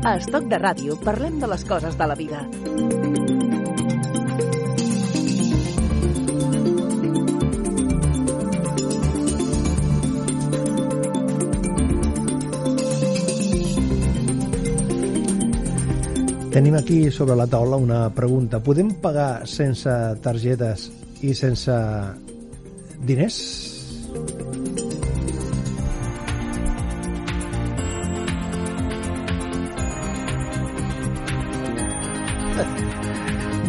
A Estoc de Ràdio parlem de les coses de la vida. Tenim aquí sobre la taula una pregunta. Podem pagar sense targetes i sense diners?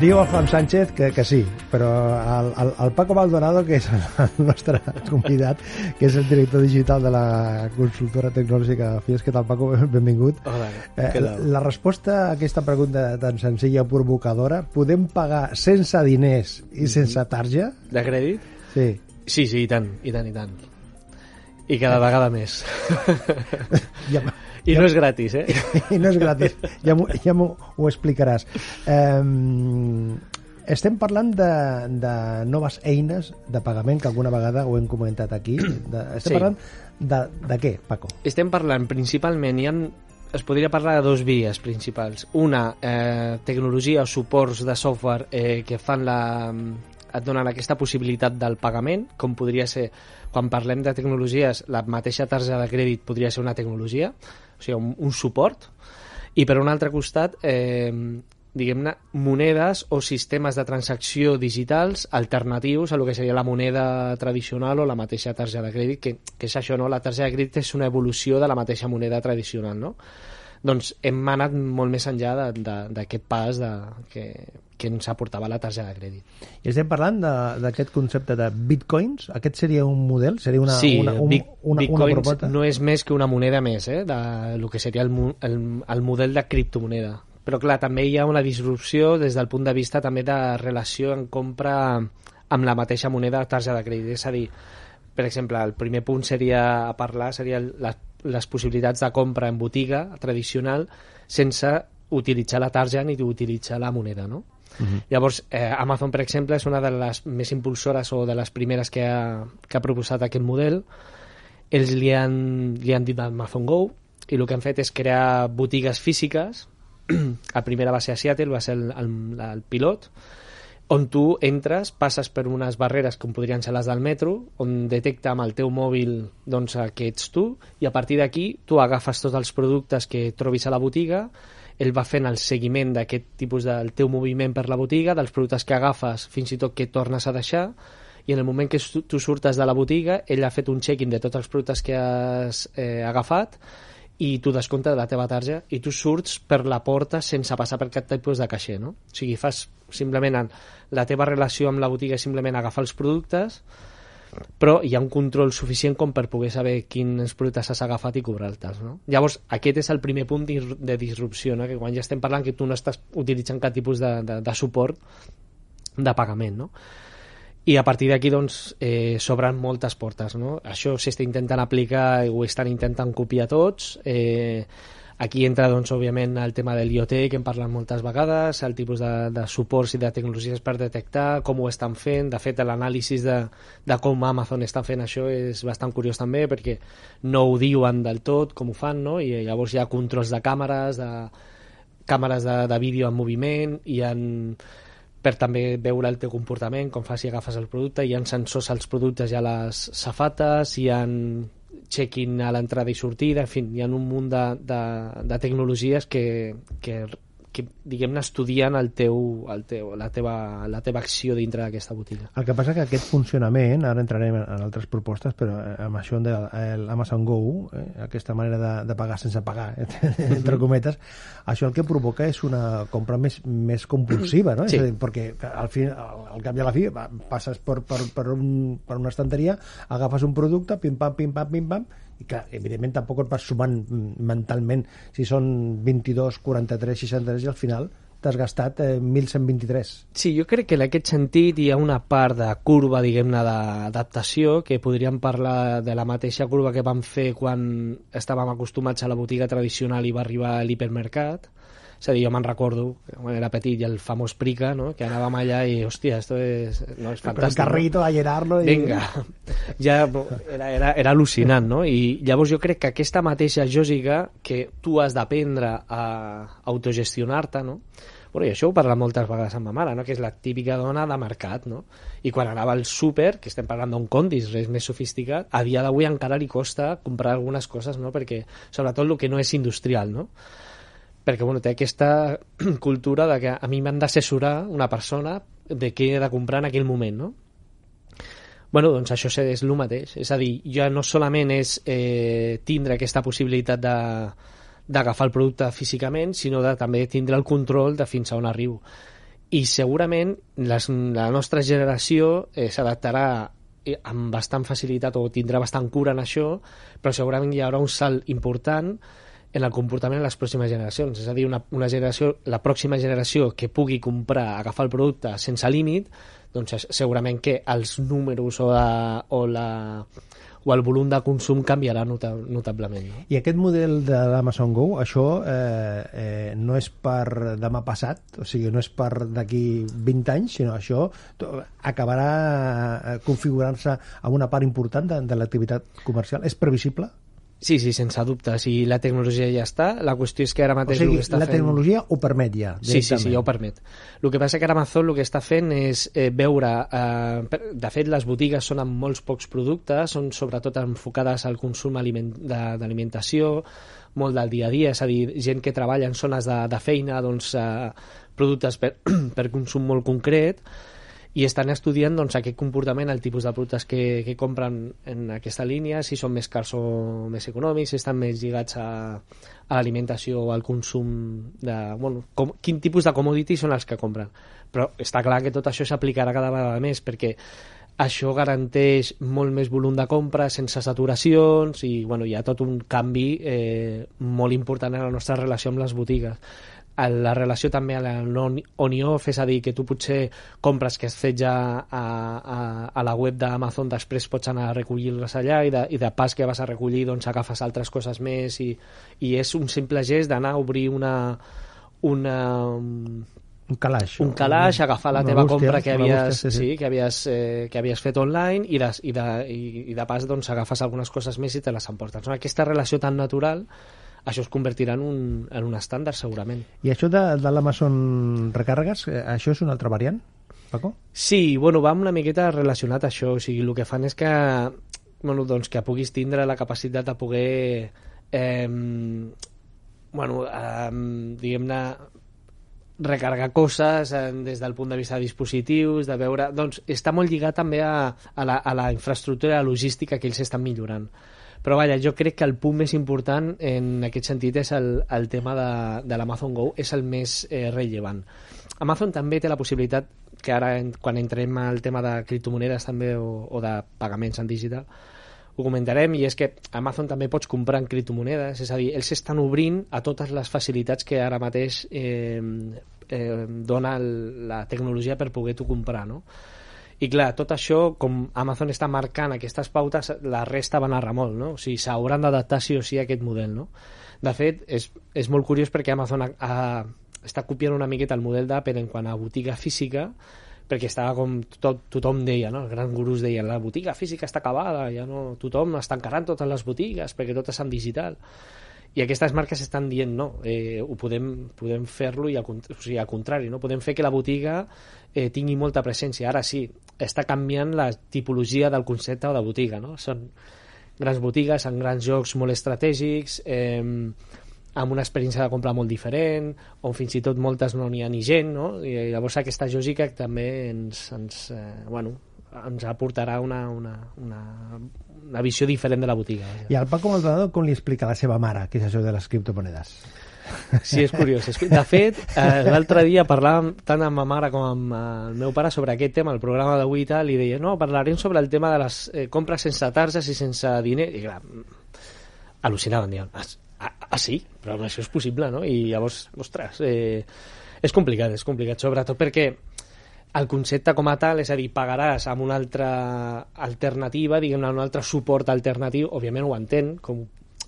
Diu el Juan Sánchez que sí, però el Paco Maldonado, que és el nostre convidat, que és el director digital de la consultora tecnològica FIES, que tal, Paco? Benvingut. Hola, la resposta a aquesta pregunta tan senzilla, provocadora, podem pagar sense diners i sense tarja? De crèdit? Sí. Sí, i tant. I cada vegada més. I no és gratis, eh? I no és gratis. Ja m'ho explicaràs. Estem parlant de noves eines de pagament, que alguna vegada ho hem comentat aquí. Estem parlant de què, Paco? Estem parlant principalment, es podria parlar de dues vies principals. Una, tecnologia o suports de software que fan et donen aquesta possibilitat del pagament, com podria ser, quan parlem de tecnologies, la mateixa targeta de crèdit podria ser una tecnologia, o sigui, un suport, i per un altre costat, diguem-ne, monedes o sistemes de transacció digitals alternatius a lo que seria la moneda tradicional o la mateixa targeta de crèdit, que és això, no? La targeta de crèdit és una evolució de la mateixa moneda tradicional, no? Doncs hem anat molt més enllà d'aquest pas que ens aportava la targeta de crèdit. I estem parlant d'aquest concepte de bitcoins? Aquest seria un model? Seria una bitcoins proposta? No és més que una moneda més, del que seria el model de criptomoneda. Però clar, també hi ha una disrupció des del punt de vista també de relació en compra amb la mateixa moneda de targeta de crèdit. És a dir, per exemple, el primer punt seria les possibilitats de compra en botiga tradicional sense utilitzar la targeta ni utilitzar la moneda, no? Llavors, Amazon, per exemple, és una de les més impulsores o de les primeres que ha proposat aquest model. Ells li han dit Amazon Go, i el que han fet és crear botigues físiques. La primera va ser a Seattle, va ser el pilot, on tu entres, passes per unes barreres com podrien ser les del metro, on detecta amb el teu mòbil doncs, que ets tu, i a partir d'aquí tu agafes tots els productes que trobis a la botiga. Ell va fent el seguiment d'aquest tipus del teu moviment per la botiga, dels productes que agafes, fins i tot que tornes a deixar, i en el moment que tu surtes de la botiga, ell ha fet un check-in de tots els productes que has agafat, i tu descomptes de la teva targeta i tu surts per la porta sense passar per cap tipus de caixer, no? O sigui, fas simplement la teva relació amb la botiga és simplement agafar els productes, però hi ha un control suficient com per poder saber quins productes has agafat i cobrar-te'ls, no? Llavors, aquest és el primer punt de disrupció, no? Que quan ja estem parlant que tu no estàs utilitzant cap tipus de suport de pagament, no? I a partir d'aquí doncs, s'obren moltes portes, no? Això s'està intentant aplicar i ho estan intentant copiar tots. Aquí entra, doncs, òbviament, el tema de l'IoT, que hem parlat moltes vegades, el tipus de suports i de tecnologies per detectar, com ho estan fent. De fet, l'anàlisi de com Amazon està fent això és bastant curiós també, perquè no ho diuen del tot com ho fan, no? I llavors hi ha controls de càmeres, de vídeo en moviment, per també veure el teu comportament, com fas si agafes el producte, hi ha sensors als productes i a les safates, hi ha check-in a l'entrada i sortida, en fi, hi ha un munt de tecnologies que diguem-ne, estudien la teva acció dintre d'aquesta botiga. El que passa que aquest funcionament, ara entrarem en altres propostes, però amb això de l'Amazon Go, aquesta manera de pagar sense pagar, entre cometes, això el que provoca és una compra més compulsiva, no? Sí. És a dir, perquè al cap i a la fi passes per una estanteria, agafes un producte, pim-pam, pim-pam, pim-pam, i clar, evidentment tampoc et vas sumant mentalment si són 22, 43, 63 i al final t'has gastat 1.123. Sí, jo crec que en aquest sentit hi ha una part de curva, diguem-ne, d'adaptació, que podríem parlar de la mateixa curva que vam fer quan estàvem acostumats a la botiga tradicional i va arribar a l'hipermercat. És a dir, jo me'n recordo, quan era petit, i el famós Prica, no? Que anàvem allà i, hòstia, esto és fantàstic. Con el carrito, no? A llenarlo. Vinga, ja era al·lucinant, no? I llavors jo crec que aquesta mateixa lògica que tu has d'aprendre a autogestionar-te, no? Bueno, i això ho parla moltes vegades amb ma mare, no? Que és la típica dona de mercat, no? I quan anava al súper, que estem parlant d'un Condis, res més sofisticat, a dia d'avui encara li costa comprar algunes coses, no? Perquè, sobretot el que no és industrial, no? Perquè, bueno, té aquesta cultura de que a mi m'han d'assessorar una persona de què he de comprar en aquell moment, no? Bueno, doncs això és el mateix. És a dir, ja no solament és tindre aquesta possibilitat d'agafar el producte físicament, sinó de també tindre el control de fins a on arribo. I segurament la nostra generació s'adaptarà amb bastant facilitat o tindrà bastant cura en això, però segurament hi haurà un salt important en el comportament de les pròximes generacions. És a dir, una generació, la pròxima generació que pugui comprar, agafar el producte sense límit, doncs segurament que els números o el volum de consum canviarà notablement. No? I aquest model de l'Amazon Go, això no és per demà passat, o sigui, no és per d'aquí 20 anys, sinó això acabarà configurant-se amb una part important de l'activitat comercial. És previsible? Sí, sense dubte. Si la tecnologia ja està, la qüestió és que ara mateix... O sigui, la tecnologia ho permet ja? Sí, ja ho permet. El que passa que ara Amazon el que està fent és veure... de fet, les botigues són amb molts pocs productes, són sobretot enfocades al consum d'alimentació, molt del dia a dia, és a dir, gent que treballa en zones de feina, doncs, productes per consum molt concret, i estan estudiant doncs, aquest comportament, el tipus de productes que compren en aquesta línia, si són més cars o més econòmics, si estan més lligats a l'alimentació o al consum quin tipus de commodity són els que compren. Però està clar que tot això s'aplicarà cada vegada més, perquè això garanteix molt més volum de compra sense saturacions i hi ha tot un canvi molt important en la nostra relació amb les botigues. La relació també a on-off, és a dir, que tu potser compres que has fet ja a la web d'Amazon, després pots anar a recollir-les allà i de pas que vas a recollir doncs agafes altres coses més i és un simple gest d'anar a obrir un calaix, agafar la teva compra que havies fet online i de pas doncs agafes algunes coses més i te les emportes. Aquesta relació tan natural, això es convertirà en un estàndard segurament. I això de l'Amazon Recàrregues, això és una altra variant, Paco? Sí, va una miqueta relacionat a això. O sigui, el que fan és que doncs que puguis tindre la capacitat de poder diguem-ne recarregar coses des del punt de vista de dispositius, de veure... Doncs està molt lligat també a la infraestructura logística que ells estan millorant. Però jo crec que el punt més important en aquest sentit és el tema de l'Amazon Go, és el més rellevant. Amazon també té la possibilitat, que ara quan entrem al tema de criptomonedes també o de pagaments en digital, ho comentarem, i és que Amazon també pots comprar en criptomonedes, és a dir, ells estan obrint a totes les facilitats que ara mateix dona la tecnologia per poder-ho comprar, no? I clar, tot això, com Amazon està marcant aquestes pautes, la resta van a remolc, no? O sigui, s'hauran d'adaptar sí o sí a aquest model, no? De fet, és molt curiós perquè Amazon està copiant una miqueta el model d'Apple en quant a botiga física, perquè estava com tothom deia, no? Els grans gurus deien, la botiga física està acabada, ja no, tothom està encarant totes les botigues perquè tot és en digital. I aquestes marques estan dient no, podem fer-lo i al contrari, no? Podem fer que la botiga tingui molta presència. Ara sí, està canviant la tipologia del concepte de botiga, no? Són grans botigues amb grans jocs molt estratègics, amb una experiència de compra molt diferent, on fins i tot moltes no n'hi ha ni gent, no? I llavors aquesta lògica també ens aportarà una visió diferent de la botiga. I al Paco Maldonado com li explica a la seva mare què és això de les criptomonedes? Sí, és curiós. De fet, l'altre dia parlàvem tant amb ma mare com amb el meu pare sobre aquest tema, el programa d'avui i tal, i deia, no, parlarem sobre el tema de les compres sense targes i sense diner, i clar, al·lucinaven, diuen, sí? Però això és possible, no? I llavors, ostres, és complicat, sobretot perquè el concepte com a tal, és a dir, pagaràs amb una altra alternativa, diguem-ne, un altre suport alternatiu, òbviament ho entén, com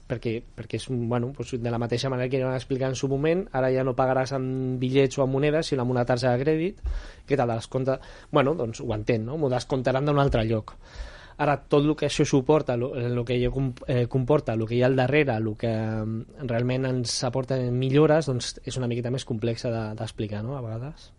perquè és de la mateixa manera que van explicar en su moment, ara ja no pagaràs amb bitllets o amb monedes, sinó amb una targeta de crèdit que te descompta, doncs ho entenc, no? M'ho descomptaran d'un altre lloc. Ara, tot el que això suporta, el que comporta, el que hi ha al darrere, el que realment ens aporta millores, doncs és una miqueta més complexa d'explicar, no?, a vegades.